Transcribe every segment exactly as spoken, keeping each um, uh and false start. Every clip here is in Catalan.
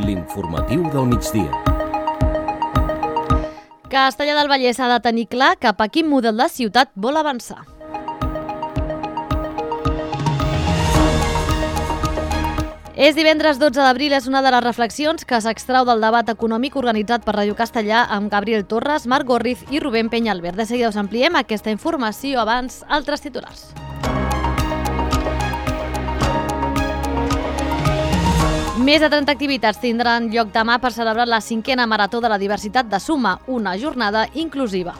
L'informatiu del migdia. Castellar del Vallès ha de tenir clar cap a quin model de ciutat vol avançar. És divendres dotze d'abril, és una de les reflexions que s'extrau del debat econòmic organitzat per Ràdio Castellar amb Gabriel Torres, Marc Gorriz i Rubén Peñalver. De seguida us ampliem aquesta informació, abans altres titulars. Més de trenta activitats tindran lloc demà per celebrar la cinquena Marató de la Diversitat de Suma, una jornada inclusiva.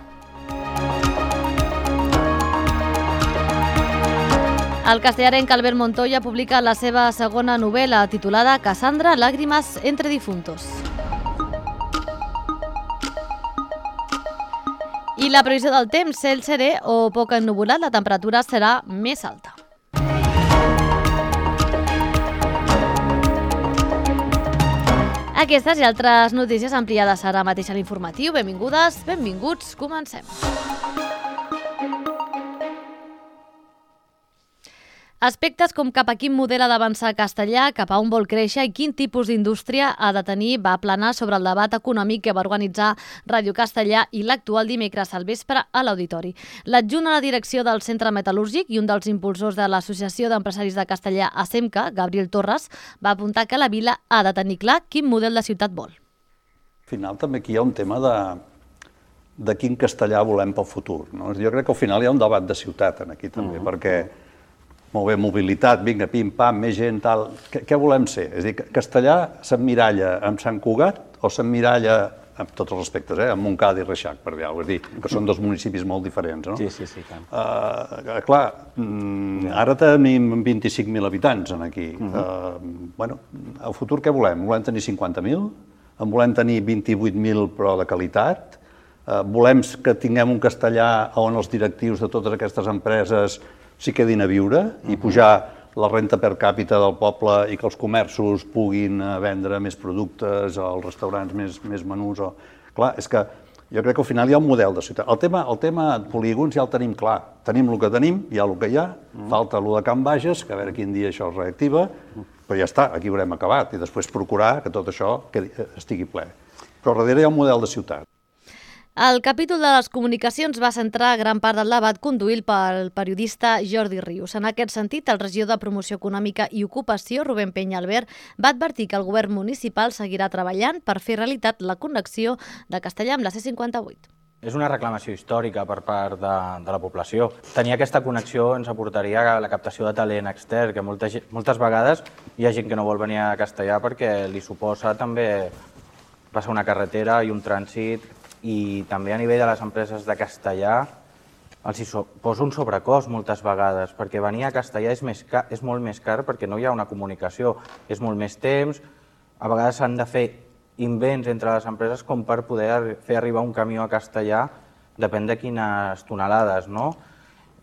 El castellarenc Albert Montoya publica la seva segona novel·la titulada Cassandra, Lágrimas entre difuntos. I la previsió del temps, cel serè o poc ennuvolat, la temperatura serà més alta. Aquestes i altres notícies ampliades ara mateix a l'informatiu. Benvingudes, benvinguts, comencem. Aspectes com cap a quin model ha d'avançar Castellar, cap a on vol créixer i quin tipus d'indústria ha de tenir va planar sobre el debat econòmic que va organitzar Ràdio Castellar i l'actual dimecres al vespre a l'Auditori. L'adjunt a la direcció del Centre Metal·lúrgic i un dels impulsors de l'Associació d'Empresaris de Castellar, ASEMCA, Gabriel Torres, va apuntar que la vila ha de tenir clar quin model de ciutat vol. Al final també aquí hi ha un tema de, de quin castellà volem pel futur. No? Jo crec que al final hi ha un debat de ciutat aquí també, uh-huh. perquè molt bé, mobilitat, vinga, pim-pam, més gent, tal... Què, què volem ser? És a dir, Castellar s'emmiralla amb Sant Cugat o s'emmiralla, amb tots els respectes, eh, amb Montcada i Reixac, per dir alguna cosa, és dir, que són dos municipis molt diferents, no? Sí, sí, sí. Clar, uh, clar mm, ara tenim vint-i-cinc mil habitants aquí. Uh-huh. uh, bueno, al futur què volem? Volem tenir cinquanta mil? En volem tenir vint-i-vuit mil però de qualitat? Uh, volem que tinguem un castellà on els directius de totes aquestes empreses s'hi quedin a viure i pujar la renta per càpita del poble i que els comerços puguin vendre més productes, els restaurants més, més menús. O... Clar, és que jo crec que al final hi ha un model de ciutat. El tema, el tema polígons ja el tenim clar. Tenim el que tenim, hi ha el que hi ha, falta el de Can Bages, que a veure quin dia això es reactiva, però ja està, aquí haurem acabat, i després procurar que tot això estigui ple. Però darrere hi ha un model de ciutat. El capítol de les comunicacions va centrar gran part del debat conduït pel periodista Jordi Rius. En aquest sentit, el regidor de Promoció Econòmica i Ocupació, Rubén Peñalver, va advertir que el govern municipal seguirà treballant per fer realitat la connexió de Castellar amb la C cinquanta-vuit. És una reclamació històrica per part de, de la població. Tenir aquesta connexió ens aportaria a la captació de talent extern, que molta, moltes vegades hi ha gent que no vol venir a Castellar perquè li suposa també passar una carretera i un trànsit, i també a nivell de les empreses de Castellar els hi posa un sobrecost moltes vegades, perquè venir a Castellar és, més car, és molt més car perquè no hi ha una comunicació, és molt més temps, a vegades s'han de fer invents entre les empreses com per poder fer arribar un camió a Castellar, depèn de quines tonelades, no?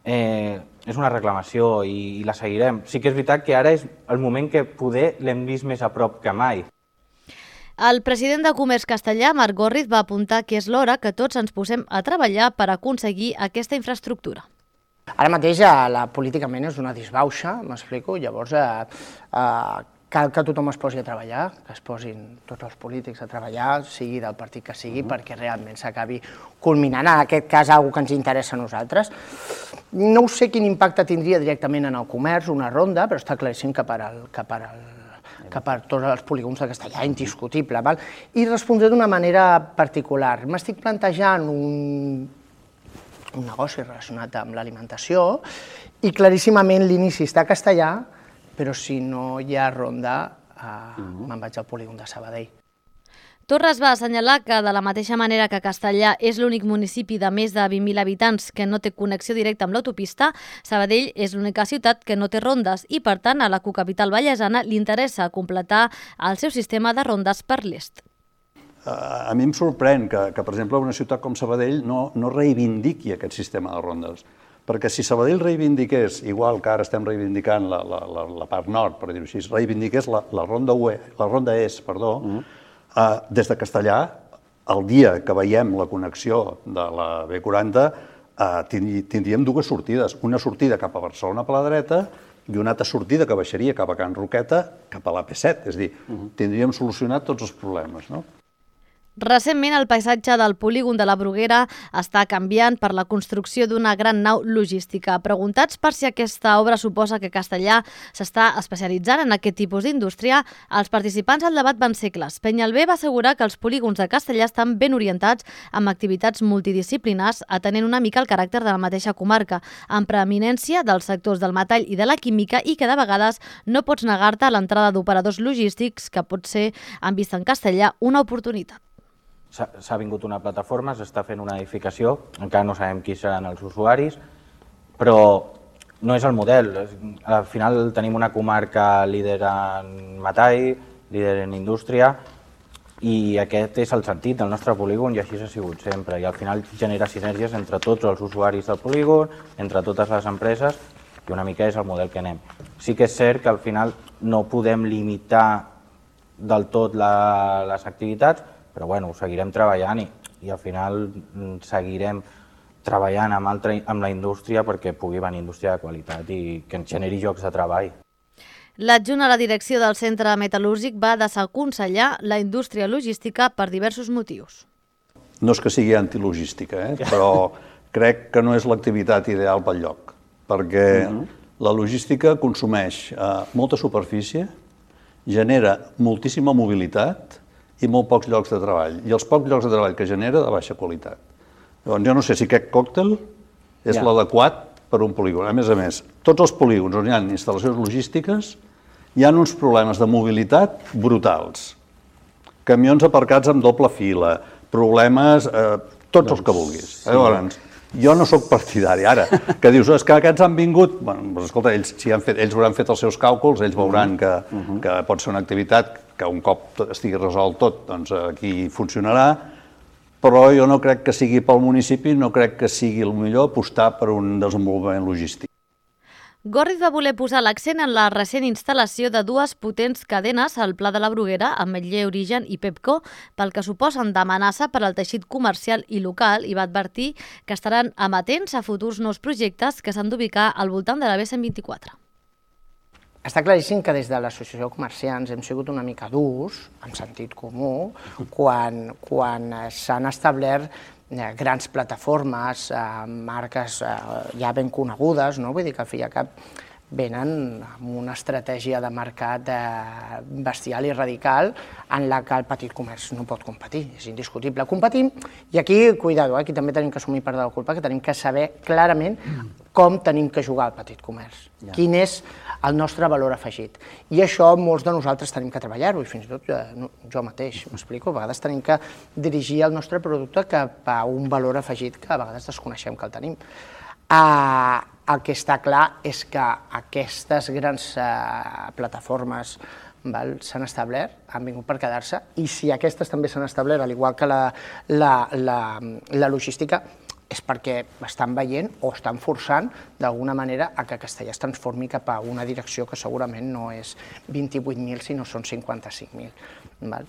Eh, és una reclamació i, i la seguirem. Sí que és veritat que ara és el moment que poder l'hem vist més a prop que mai. El president de Comerç Castellar, Marc Gorriz, va apuntar que és l'hora que tots ens posem a treballar per aconseguir aquesta infraestructura. Ara mateix la políticament és una disbauxa, m'explico, llavors eh, eh, cal que tothom es posi a treballar, que es posin tots els polítics a treballar, sigui del partit que sigui, uh-huh. perquè realment s'acabi culminant, en aquest cas, alguna que ens interessa a nosaltres. No sé quin impacte tindria directament en el comerç, una ronda, però està claríssim que per al, que per al que per tots els polígons de Castellar, indiscutible. Val? I respondré d'una manera particular. M'estic plantejant un, un negoci relacionat amb l'alimentació i claríssimament l'inici està a Castellar, però si no hi ha ronda, eh, uh-huh. me'n vaig al polígon de Sabadell. Torres va assenyalar que, de la mateixa manera que Castellar és l'únic municipi de més de vint mil habitants que no té connexió directa amb l'autopista, Sabadell és l'única ciutat que no té rondes i, per tant, a la cocapital vallesana li interessa completar el seu sistema de rondes per l'est. A mi em sorprèn que, que per exemple, una ciutat com Sabadell no, no reivindiqui aquest sistema de rondes. Perquè si Sabadell reivindiqués, igual que ara estem reivindicant la, la, la, la part nord, per dir-ho així, reivindiqués la, la ronda U E, la ronda est, perdó, mm. Uh, des de Castellar, el dia que veiem la connexió de la B quaranta, uh, tindríem dues sortides. Una sortida cap a Barcelona per la dreta i una altra sortida que baixaria cap a Can Roqueta, cap a l'A P set. És a dir, tindríem solucionat tots els problemes, no? Recentment, el paisatge del polígon de la Bruguera està canviant per la construcció d'una gran nau logística. Preguntats per si aquesta obra suposa que Castellar s'està especialitzant en aquest tipus d'indústria, els participants al debat van ser clars. Penyalbé va assegurar que els polígons de Castellar estan ben orientats amb activitats multidisciplinars, atenent una mica el caràcter de la mateixa comarca, amb preeminència dels sectors del metall i de la química, i que de vegades no pots negar-te a l'entrada d'operadors logístics, que pot ser, han vist en Castellar, una oportunitat. S'ha vingut una plataforma, s'està fent una edificació, encara no sabem qui seran els usuaris, però no és el model. Al final tenim una comarca líder en metall, líder en indústria, i aquest és el sentit del nostre polígon i així ha sigut sempre. I al final genera sinergies entre tots els usuaris del polígon, entre totes les empreses, i una mica és el model que anem. Sí que és cert que al final no podem limitar del tot la, les activitats, però bueno, ho seguirem treballant i, i al final seguirem treballant amb, altra, amb la indústria perquè pugui venir indústria de qualitat i que ens generi llocs de treball. L'adjunt a la direcció del centre metal·lúrgic va desaconsellar la indústria logística per diversos motius. No és que sigui antilogística, eh? Però crec que no és l'activitat ideal pel lloc, perquè la logística consumeix eh, molta superfície, genera moltíssima mobilitat i molt pocs llocs de treball, i els pocs llocs de treball que genera de baixa qualitat. Llavors, jo no sé si aquest còctel és ja. l'adequat per un polígon. A més a més, tots els polígons on hi ha instal·lacions logístiques hi ha uns problemes de mobilitat brutals. Camions aparcats amb doble fila, problemes, eh, tots doncs, els que vulguis. Sí. Llavors, jo no sóc partidari. Ara, que dius, és que aquests han vingut... Bueno, doncs, escolta, ells, si han fet, ells hauran fet els seus càlculs, ells veuran que, uh-huh. que pot ser una activitat que un cop estigui resolt tot, doncs aquí funcionarà, però jo no crec que sigui pel municipi, no crec que sigui el millor apostar per un desenvolupament logístic. Gorriz va voler posar l'accent en la recent instal·lació de dues potents cadenes al Pla de la Bruguera, Ametller Origen i Pepco, pel que suposen d'amenaça per al teixit comercial i local, i va advertir que estaran amatents a futurs nous projectes que s'han d'ubicar al voltant de la B cent vint-i-quatre. Està claríssim que des de l'associació de comerciants hem sigut una mica durs, en sentit comú, quan, quan s'han establert grans plataformes, marques ja ben conegudes, no? Vull dir que al fi i al cap venen amb una estratègia de mercat bestial i radical en la que el petit comerç no pot competir, és indiscutible. Competim, i aquí, cuidado, aquí també tenim que assumir part de la culpa, que tenim que saber clarament com tenim que jugar al petit comerç, quin és el nostre valor afegit. I això molts de nosaltres tenim que treballar-ho, i fins i tot jo mateix, m'explico, a vegades tenim que dirigir el nostre producte cap a un valor afegit que a vegades desconeixem que el tenim. El que està clar és que aquestes grans plataformes s'han establert, han vingut per quedar-se, i si aquestes també s'han establert, al igual que la logística, és perquè estan veient o estan forçant d'alguna manera a que Castellar es transformi cap a una direcció que segurament no és vint-i-vuit mil, sinó són cinquanta-cinc mil.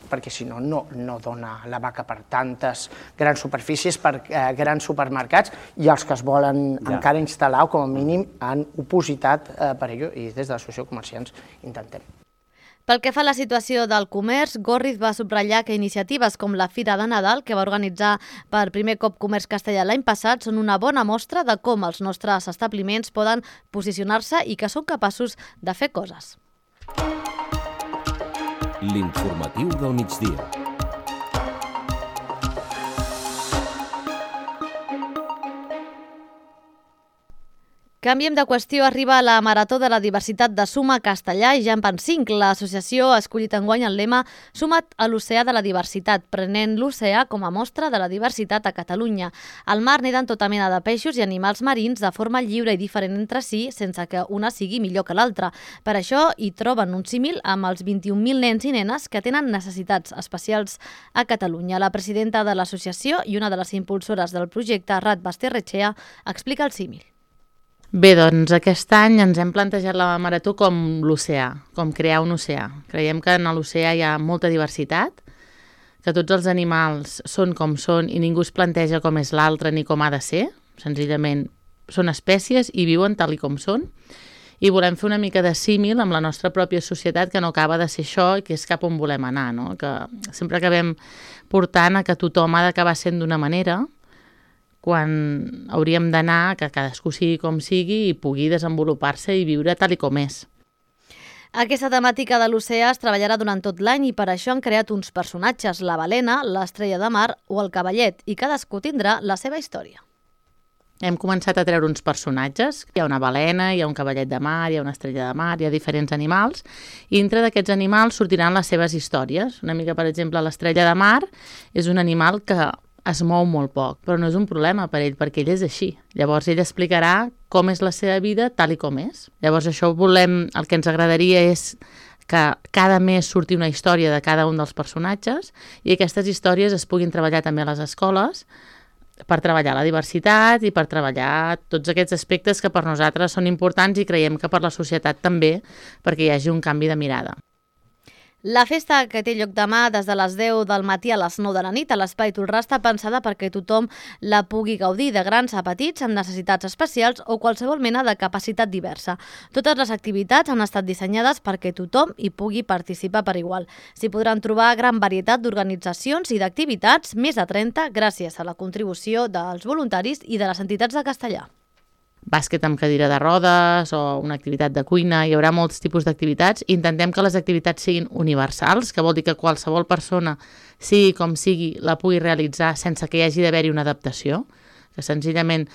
Perquè si no, no dona la vaca per tantes grans superfícies, per grans supermercats, i els que es volen encara instal·lar, o com a mínim han opositat per ello, i des de l'associació de comerciants intentem. Pel que fa a la situació del comerç, Gorriz va subratllar que iniciatives com la Fira de Nadal, que va organitzar per primer cop Comerç Castellar l'any passat, són una bona mostra de com els nostres establiments poden posicionar-se i que són capaços de fer coses. L'informatiu del migdia. Canviem de qüestió, arriba la Marató de la Diversitat de Suma Castellar i ja en van cinc. L'associació ha escollit enguany el lema Suma't a l'oceà de la diversitat, prenent l'oceà com a mostra de la diversitat a Catalunya. Al mar neden tota mena de peixos i animals marins de forma lliure i diferent entre si, sense que una sigui millor que l'altra. Per això hi troben un símil amb els vint-i-un mil nens i nenes que tenen necessitats especials a Catalunya. La presidenta de l'associació i una de les impulsores del projecte, Rat Basterrechea, explica el símil. Bé, doncs aquest any ens hem plantejat la marató com l'oceà, com crear un oceà. Creiem que en l'oceà hi ha molta diversitat, que tots els animals són com són i ningú es planteja com és l'altre ni com ha de ser. Senzillament són espècies i viuen tal i com són. i volem fer una mica de símil amb la nostra pròpia societat, que no acaba de ser això i que és cap on volem anar, no? Que sempre acabem portant a que tothom ha d'acabar sent d'una manera, quan hauríem d'anar que cadascú sigui com sigui i pugui desenvolupar-se i viure tal i com és. Aquesta temàtica de l'oceà es treballarà durant tot l'any i per això han creat uns personatges, la balena, l'estrella de mar o el cavallet, i cadascú tindrà la seva història. Hem començat a treure uns personatges. Hi ha una balena, hi ha un cavallet de mar, hi ha una estrella de mar, hi ha diferents animals, i dintre d'aquests animals sortiran les seves històries. Una mica, per exemple, l'estrella de mar és un animal que es mou molt poc, però no és un problema per ell, perquè ell és així. Llavors ell explicarà com és la seva vida tal i com és. Llavors això volem, el que ens agradaria és que cada mes surti una història de cada un dels personatges i aquestes històries es puguin treballar també a les escoles per treballar la diversitat i per treballar tots aquests aspectes que per nosaltres són importants i creiem que per la societat també, perquè hi hagi un canvi de mirada. La festa, que té lloc demà des de les deu del matí a les nou de la nit a l'Espai Tolrà, està pensada perquè tothom la pugui gaudir, de grans a petits amb necessitats especials o qualsevol mena de capacitat diversa. Totes les activitats han estat dissenyades perquè tothom hi pugui participar per igual. S'hi podran trobar gran varietat d'organitzacions i d'activitats, més de trenta, gràcies a la contribució dels voluntaris i de les entitats de Castellà. Bàsquet amb cadira de rodes o una activitat de cuina, hi haurà molts tipus d'activitats. Intentem que les activitats siguin universals, que vol dir que qualsevol persona, sigui com sigui, la pugui realitzar sense que hi hagi d'haver-hi una adaptació, que senzillament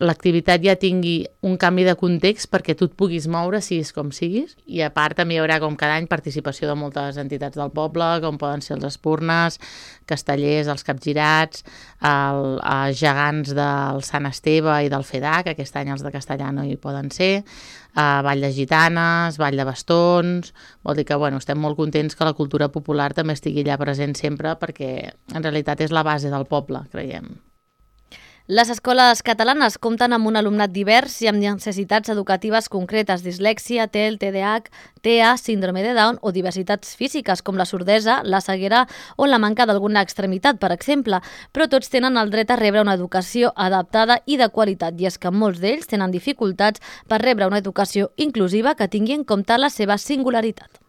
l'activitat ja tingui un canvi de context perquè tu et puguis moure, siguis com siguis, i a part també hi haurà com cada any participació de moltes entitats del poble, com poden ser els Espurnes, Castellers, els Capgirats, el, els gegants del Sant Esteve i del F E D A, que aquest any els de Castellà no hi poden ser, Uh, Ball de Gitanes, Ball de Bastons, vol dir que bueno, estem molt contents que la cultura popular també estigui allà present sempre perquè en realitat és la base del poble, creiem. Les escoles catalanes compten amb un alumnat divers i amb necessitats educatives concretes, dislèxia, T E L, T D A H, T E A, síndrome de Down o diversitats físiques com la sordesa, la ceguera o la manca d'alguna extremitat, per exemple, però tots tenen el dret a rebre una educació adaptada i de qualitat, i és que molts d'ells tenen dificultats per rebre una educació inclusiva que tingui en compte la seva singularitat.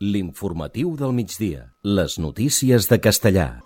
L'informatiu del migdia. Les notícies de Castellà.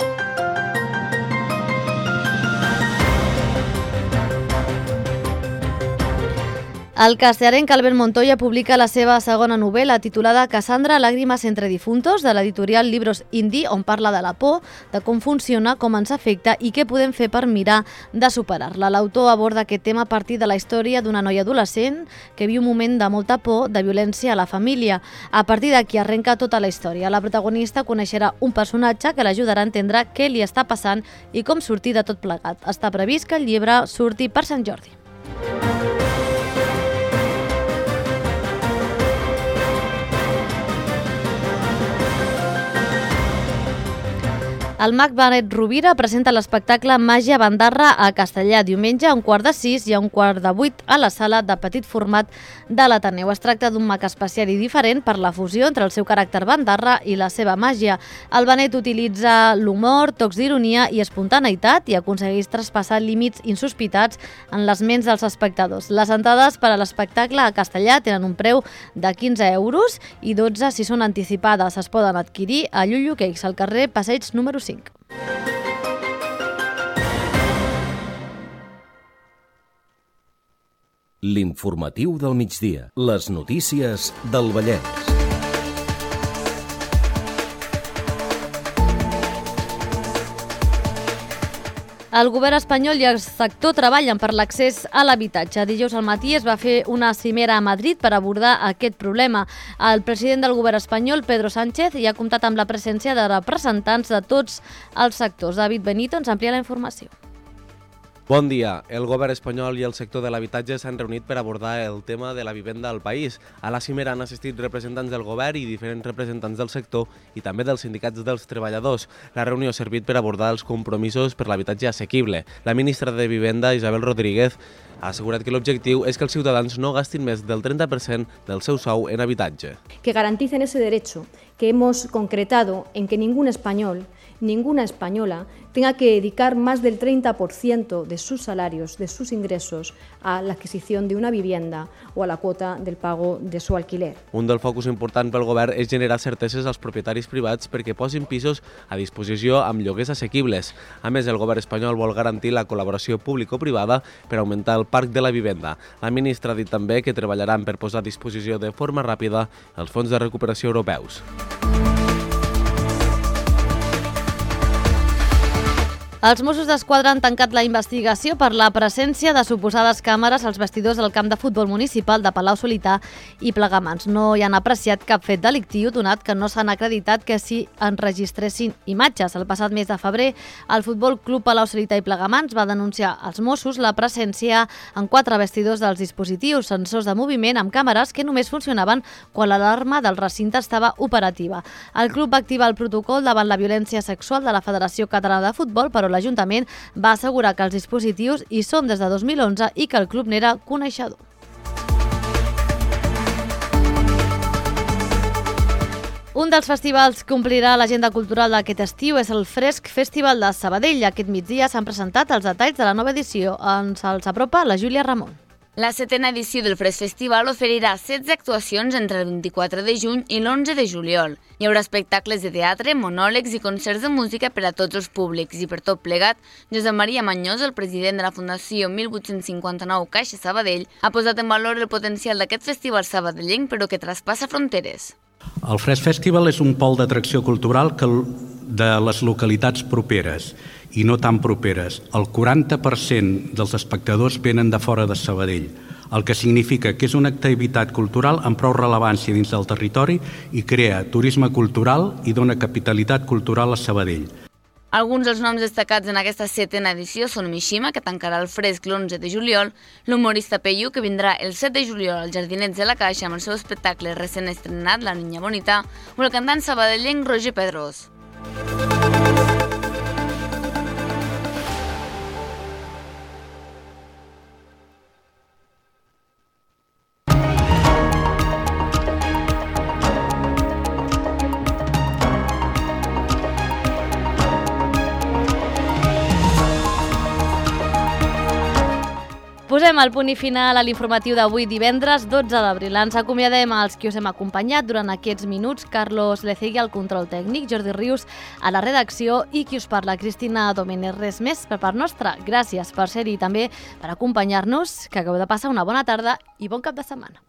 El castellanenc Albert Montoya publica la seva segona novel·la titulada Cassandra, Lágrimas entre difuntos, de l'editorial Libros Indie, on parla de la por, de com funciona, com ens afecta i què podem fer per mirar de superar-la. L'autor aborda aquest tema a partir de la història d'una noia adolescent que viu un moment de molta por, de violència a la família. A partir d'aquí arrenca tota la història. La protagonista coneixerà un personatge que l'ajudarà a entendre què li està passant i com sortir de tot plegat. Està previst que el llibre surti per Sant Jordi. El mag Benet Rovira presenta l'espectacle Màgia Bandarra a Castellà diumenge a un quart de sis i a un quart de vuit a la sala de petit format de l'Ateneu. Es tracta d'un mag especial i diferent per la fusió entre el seu caràcter bandarra i la seva màgia. El Benet utilitza l'humor, tocs d'ironia i espontaneïtat i aconsegueix traspassar límits insospitats en les ments dels espectadors. Les entrades per a l'espectacle a Castellà tenen un preu de quinze euros i dotze si són anticipades. Es poden adquirir a Llullo Cakes, al carrer Passeig número cinc. L'informatiu del migdia. Les notícies del Vallès. El govern espanyol i el sector treballen per l'accés a l'habitatge. Dijous al matí es va fer una cimera a Madrid per abordar aquest problema. El president del govern espanyol, Pedro Sánchez, hi ha comptat amb la presència de representants de tots els sectors. David Benito ens amplia la informació. Bon dia. El govern espanyol i el sector de l'habitatge s'han reunit per abordar el tema de la vivenda al país. A la cimera han assistit representants del govern i diferents representants del sector i també dels sindicats dels treballadors. La reunió ha servit per abordar els compromisos per l'habitatge assequible. La ministra de Vivenda, Isabel Rodríguez, ha assegurat que l'objectiu és que els ciutadans no gastin més del treinta per cent del seu sou en habitatge. Que garanticen ese derecho que hemos concretado en que ningún español ninguna española tenga que dedicar más del treinta por ciento de sus salarios, de sus ingresos, a la adquisición de una vivienda o a la cuota del pago de su alquiler. Un dels focus important pel govern és generar certeses als propietaris privats perquè posin pisos a disposició amb lloguers assequibles. A més, el govern espanyol vol garantir la col·laboració público-privada per augmentar el parc de la vivenda. La ministra ha dit també que treballaran per posar a disposició de forma ràpida els fons de recuperació europeus. Els Mossos d'Esquadra han tancat la investigació per la presència de suposades càmeres als vestidors del camp de futbol municipal de Palau-solità i Plegamans. No hi han apreciat cap fet delictiu, donat que no s'han acreditat que s'hi enregistressin imatges. El passat mes de febrer, el Futbol Club Palau-solità i Plegamans va denunciar als Mossos la presència en quatre vestidors dels dispositius, sensors de moviment amb càmeres que només funcionaven quan l'alarma del recinte estava operativa. El club va activar el protocol davant la violència sexual de la Federació Catalana de Futbol, però l'Ajuntament va assegurar que els dispositius hi són des de dos mil onze i que el club n'era coneixedor. Un dels festivals que omplirà l'agenda cultural d'aquest estiu és el Fresc Festival de Sabadell. Aquest migdia s'han presentat els detalls de la nova edició. Ens els apropa la Júlia Ramon. La setena edició del Fresc Festival oferirà setze actuacions entre el vint-i-quatre de juny i l'onze de juliol. Hi haurà espectacles de teatre, monòlegs i concerts de música per a tots els públics i per tot plegat, Josep Maria Mañós, el president de la Fundació mil vuit-cents cinquanta-nou Caixa Sabadell, ha posat en valor el potencial d'aquest festival sabadellenc però que traspassa fronteres. El Fresc Festival és un pol d'atracció cultural que de les localitats properes i no tan properes. El quaranta per cent dels espectadors venen de fora de Sabadell, el que significa que és una activitat cultural amb prou rellevància dins del territori i crea turisme cultural i dona capitalitat cultural a Sabadell. Alguns dels noms destacats en aquesta setena edició són Mishima, que tancarà el Fresc l'onze de juliol, l'humorista Peyu, que vindrà el set de juliol als Jardinets de la Caixa amb el seu espectacle recent estrenat, La Niña Bonita, o el cantant sabadellenc Roger Pedrós. Posem el punt i final a l'informatiu d'avui divendres dotze d'abril. Ens acomiadem als qui us hem acompanyat durant aquests minuts. Carlos Lecegui al control tècnic, Jordi Rius a la redacció i qui us parla, Cristina Domènech. Res més per part nostra. Gràcies per ser-hi i també per acompanyar-nos. Que acabeu de passar una bona tarda i bon cap de setmana.